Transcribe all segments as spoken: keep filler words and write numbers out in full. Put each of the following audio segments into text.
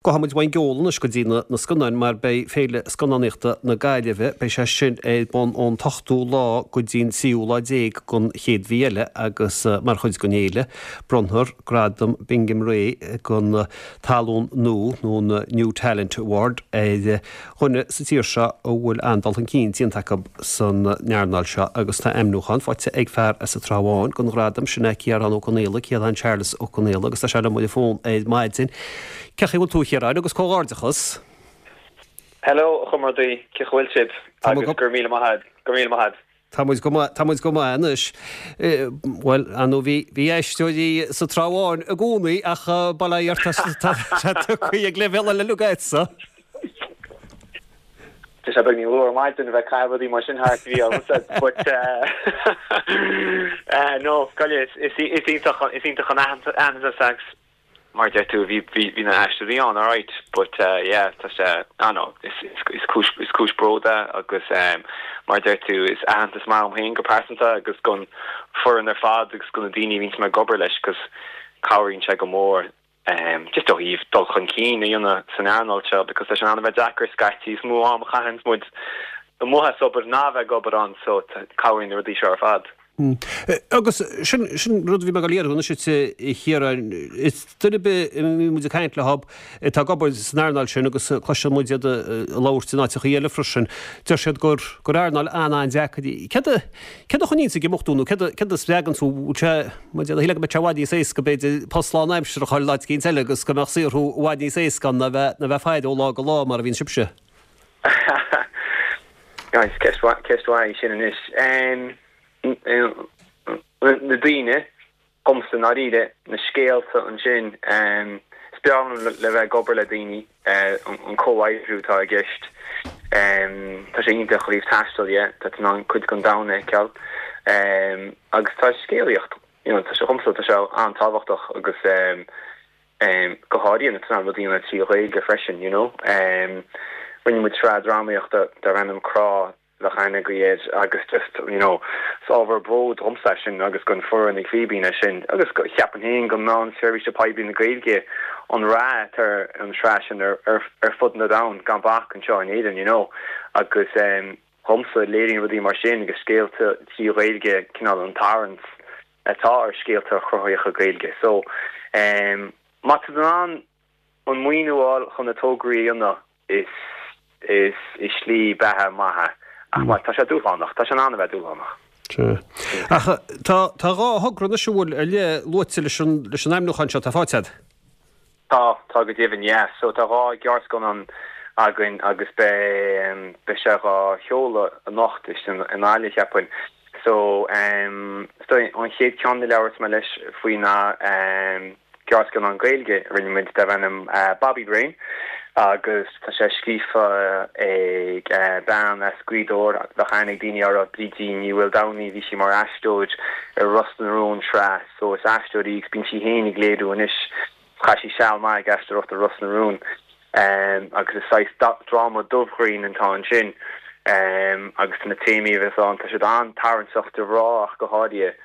Gabhfaidh muid uainn ceol anois go dtí na na scannáin mar beidh Féile Scannánaíochta na Gaillimhe, beidh sé sin ar bun ón t-ochtú lá go dtí an tríú lá déag den chéad mhí eile agus mar chuid den fhéile bronnfar Gradam Bingham Ray don Tallann Nua nó an New Talent Award ar dhuine sa tír seo a bhfuil an-dul chun cinn déanta acu san earnáil seo agus tá ainmniúchán faighte ag fear as an Trá Bháin don ghradam sin é Ciarán Ó Conaola, Ciarán Charles Ó Conaola agus tá sé liom ar an bhfón ar maidin. Cén chaoi a bhfuil tú a Chiaráin agus comhghairdeachas. Hello a chomrádaí, cén chaoi a bhfuil sibh agus go raibh míle maith agat, go raibh míle maith agat. Tá muid go maith, tá muid go maith anois. Bhuel, ar ndóigh bhí, bhí aisteoirí sa Trá Bháin i gcónaí ach bail ó Dhia ort tá sé tugtha ag leibhéal eile agatsa. Tá sé beagáinín luath ar maidin a bheith ag caitheamh rudaí mar sin thart, bhí ormsa, but no, go is is iontach is iontach an aitheantas agus mar deir tú bhí bhí na aisteoirí ann alright but uh, yeah tá sé ah no is is is cúis is cúis bróid é agus um, mar deir tú is aitheantas maith dom féin go pearsanta agus don fhoireann ar fad agus do na daoine a bhíonn mé ag obair leis cos cabhraíonn sé go mór um, just ó thaobh dul chun cinn a dhéanamh san earnáil seo because tá sé an-bheith deacair scaití is mó am a chaitheann muid amuigh as obair ná bheith ag obair ann so cabhraíonn na rudaí seo ar fad. Hmm. Agus sin sin rud bhí mé ag iarraidh anois a Chiaráin is duine ar bith a mbíonn muid ag caint leo atá ag obair san earnáil sin agus cloiseann muid iad ag labhairt in áiteachaí eile freisin. Deir siad gur gur earnáil an-an-deacair í. Céard a céard a choinníonns ag imeacht thú nó céard a céard a spreagann tú sé mar shíl go mbeadh sé i bhfad níos éasca b'fhéidir post lánaimseartha a fháil in áit éicint eile agus go mbeadh saothrú i bhfad níos éasca ná bheith ná bheith ag faire ó lá go lá mar a bhíonn sibhse. Guys, ceist ceist mhaith í sin anois. Um, na daoine domsa ndáiríre na scéalta ansin um, is breá liom le bheith ag obair le daoine uh, an comhoibriú atá i gceist. Um, tá sé iontach ó thaobh taistil dhe, tá tú in ann cuid den domhan a fheiceáil. Um, agus tá scéalaíocht you know, tá sé domsa tá sé an-tábhachtach agus um, um, go háirithe na rudaí na trí Ghaeilge freisin, you know. Um, Rinne muid sraith drámaíochta darb ainm Crá le haithne air agus just you know is ábhar bróid domsa sin agus don fhoireann ag Fíbín é sin agus ceapaim féin go meán seirbhíse poiblí na Gaeilge an rath ar an sraith sin ar, ar, ar fud na domhan gan bac anseo in Éirinn you know agus um, domsa léiríonn rudaí mar sin agus scéalta trí Ghaeilge cineál an tarraingt atá ar scéalta cruthaitheacha Gaeilge so um, má tá an an maoiniú chun na tograí a dhéanamh is is is slí beatha maith ach má tá sé dúshlánach tá sé an-bheith dúshlánach. Ach tá tá dhá thogra anois a bhfuil ar leith luaite leis an leis an ainmniúchán seo tá faighte agat. Tá tá go deimhin yeah so tá dhá ghearrscannán againn agus be beidh sé á sheoladh anocht is in in Gaillimh cheapfainn. So um, so an chéad ceann a labhairt mé leis faoi ná um, gearrscannán Gaeilge rinne muid darb ainm uh, Bobby Brain agus tá sé scríofa ag uh, bean as Gaoth Dobhair le haithne ag daoine ar Brídín Ní Mhaoldomhnaigh bhí sí mar aisteoir ar Ros na Rún sraith so is aisteoir í bíonn sí féin ag léiriú anois chaith sí seal maith ag aisteoireacht ar Ros na Rún um, agus is saghas dráma dubhghrinn atá ansin um, agus na téamaí a bheas ann tá siad an-tarraingteach do mhná ach go háirithe.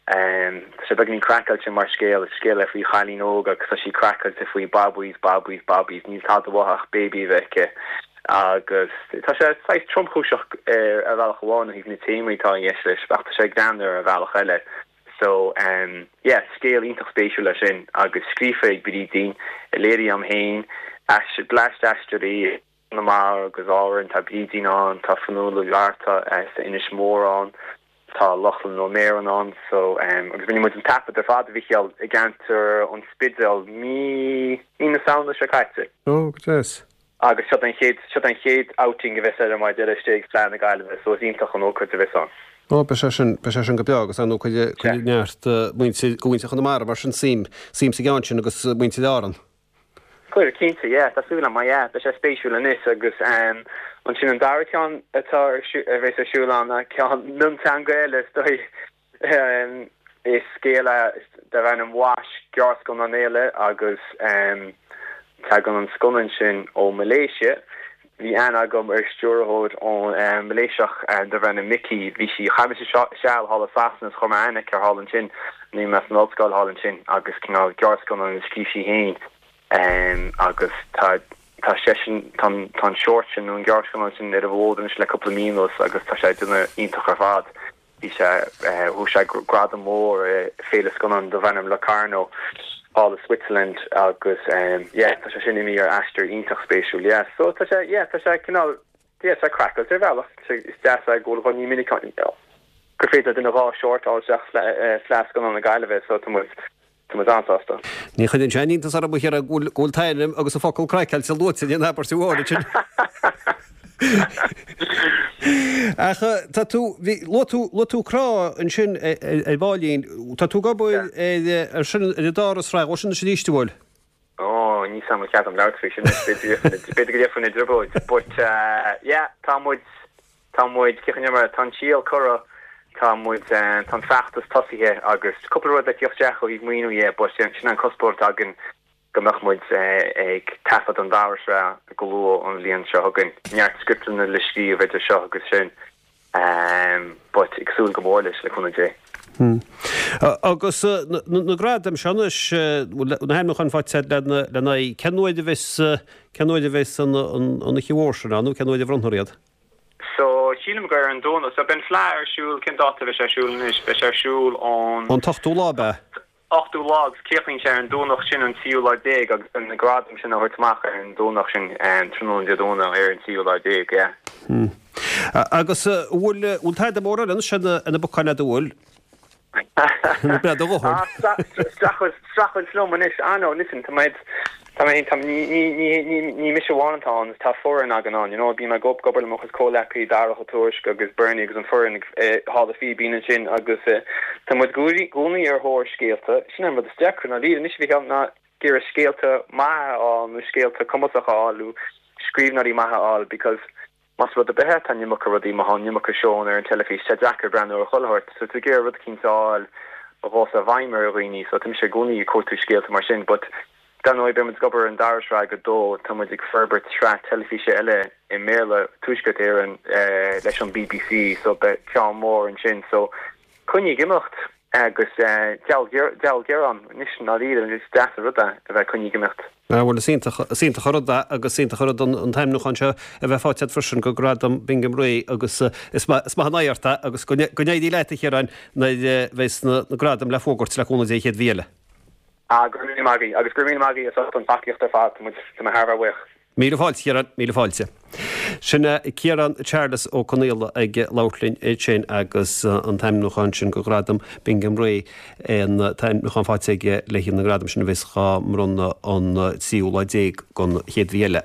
Um, tá sé beagáinín craiceáilte mar scéal is scéal é faoi chailín óg agus tá sí craiceáilte faoi babaí babaí babaí níl tada uaithi ach baby a bheith aici agus tá sé saghas tromchúiseach ar ar bhealach amháin ó thaobh na téamaí atá i gceist leis ach tá sé greannmhar ar bhealach eile. So um, yeah, scéal iontach spéisiúil leis sin agus scríofa ag Brídín léirithe agam féin bleaist aisteoirí na mar agus Árann tá Brídín ann tá Fionnuala Mharta as Inis Mór ann tá Lochlainn Ó Méaráin ann so um, agus rinne muid an taifead ar fad a Mhícheáil i gceantar an Spidéil mí mí na Samhna seo caite. Ó go deas. Agus seo an chéad seo an chéad outing a bheas ar mar deir istigh ag Fleadh na Gaillimhe so is iontach an ócáid a bheas ann. Ó beidh sé sin beidh sé sin go breá agus an chuid chuid neart muintir go muintir Chonamara mar sin suim suim sa gceann sin agus muintir Árann. Cuir cinnte yeah, tá súil ma yeah, beidh sé spéisiúil anois agus um, ansin an dara ceann atá ar a bheas ar siúl ann ceann mionteanga eile is dóigh um, is scéal é darb ainm Wash gearrscannán eile agus um, tagann an scannán sin ó Malaysia. Bhí aithne agam ar stiúrthóir ón um, Malaysiach um, darb ainm Mickey, bhí sí chaith sí seal thall i Sasana is chuir mé aithne uirthi thall ansin ní mé san ollscoil thall ansin agus cineál gearrscannán a scríobh sí féin. Um, agus tá tá seisean tá tá an short sin nó an gearrscannán sin ar an bhfód anois le cúpla mí anuas agus tá sé déanamh iontach ar fad. Bhí sé bhuaigh sé gradam mór féile scannán darb ainm Locarno all of Switzerland agus um, yeah, tá sé sin imithe ar aistear iontach spéisiúil yeah. So tá sé yeah, tá sé cineál yeah, tá craiceáilte ar bhealach is deas é go bhfuil ní minic gur féidir duine dhá short a fháil Fleadh Scannán na Gaillimhe so tá muid tá muid an-sásta. Ní chuireann sé iontas orm a Chiaráin go bhfuil t'ainm agus an focal craiceáilte luaite in abairt amháin sin. Ach tá tú luaigh tú luaigh tú crá ansin ar baillín, tá tú ag obair ar sin ar an dara sraith ó sin sin arís bhfuil? Ó ní sam cead am leabhar sin b'fhéidir go dhéanfainn i dtrioblóid, but uh, yeah, tá muid tá muid mar tá an síol curtha tá muid tá an feachtas tosaithe agus cúpla rud le teacht isteach ó thaobh maoiniú dhe, but sin an cuspóir atá againn go mbeadh muid ag taifead an dara sraith go luath an bhliain seo chugainn. Neart scripteanna le scríobh idir seo agus sin um, but ag súil go mór leis le cúnamh Dé. Hmm. Agus na gradaim seo anois na hainmniúcháin faighte le lena cén uair a bheas cén uair a bheas an oíche mhór sin nó cén uair a bhronnfar iad? So sílim gur an Domhnach so beidh an Fleadh ar siúl cén dáta bheidh sé ar siúl anois beidh sé ar siúl ón An t-ochtú lá be? ochtú lá agus críochnaíonn sé ar an Domhnach sin an tríú lá déag agus an na gradaim sin á thabhairt amach ar an Domhnach sin tráthnóna Dé Domhnaigh ar an tríú lá déag yeah. Hmm. Agus bhfuil bhfuil tada mór eile sin ina bpocáin agat bhfuil? Bre do ah, Streachailt liom anois ah no listen tá muid Tá mé tá ní ní ní ní mise amháin atá ann tá foireann againn ann you know bím ag obair le mo chuid comhghleacaithe Darach Ó Tuairisg agus Bernie agus an foireann eh, Halla Fíbín ansin agus eh, tá muid i gcónaí ar thóir scéalta sin an rud is deacra ná líon anois bhí ná ag iarraidh scéalta maithe a fháil nó scéalta cumasacha a fháil nó scríbhneoirí maithe a fháil because más rud ar bith é tá an iomarca rudaí má tá an iomarca seónna ar an teilifís tá sé deacair breathnú ar chuile shórt so tú ag iarraidh rud eicínt a fháil a ghabhfas i bhfeidhm ar dhaoine so tá mise i gcónaí ag cuartú scéalta mar sin but dar ndóigh beidh muid ag obair ar an dara sraith go dó tá muid ag forbairt sraith teilifíse eile i mBéarla Tuaisceart Éireann eh, leis an BBC so beidh ceann mór ansin so coinnigh ag imeacht agus eh, deabhal gearán anois ná ríad is deas an rud é a bheith coinnigh ag imeacht. Ah, bhuel is iontach is iontach an rud é agus iontach an rud an an t-ainmniúchán seo a bheith faighte agat freisin go Gradam Bingham Ray agus eh, is maith is maith an oidhreacht é agus go go n-éirí leat a Chiaráin nuair a bheas na na gradaim le fógairt le cúnamh Dé an chéad mhí eile. Ah, go raibh míle maith agaibh agus go raibh míle maith agaibh as ucht an tacaíocht ar fad tá muid tá mé thar a bheith buíoch. Míle fáilte Ciarán, míle fáilte. Sin Ciarán Charles Ó Conaola ag labhairt linn ansin agus an t-ainmniúchán sin go Gradam Bingham Ray an t-ainmniúchán faighte aige le haghaidh na ngradam sin a bheas á mbronnadh an tríú lá déag den chéad mhí eile.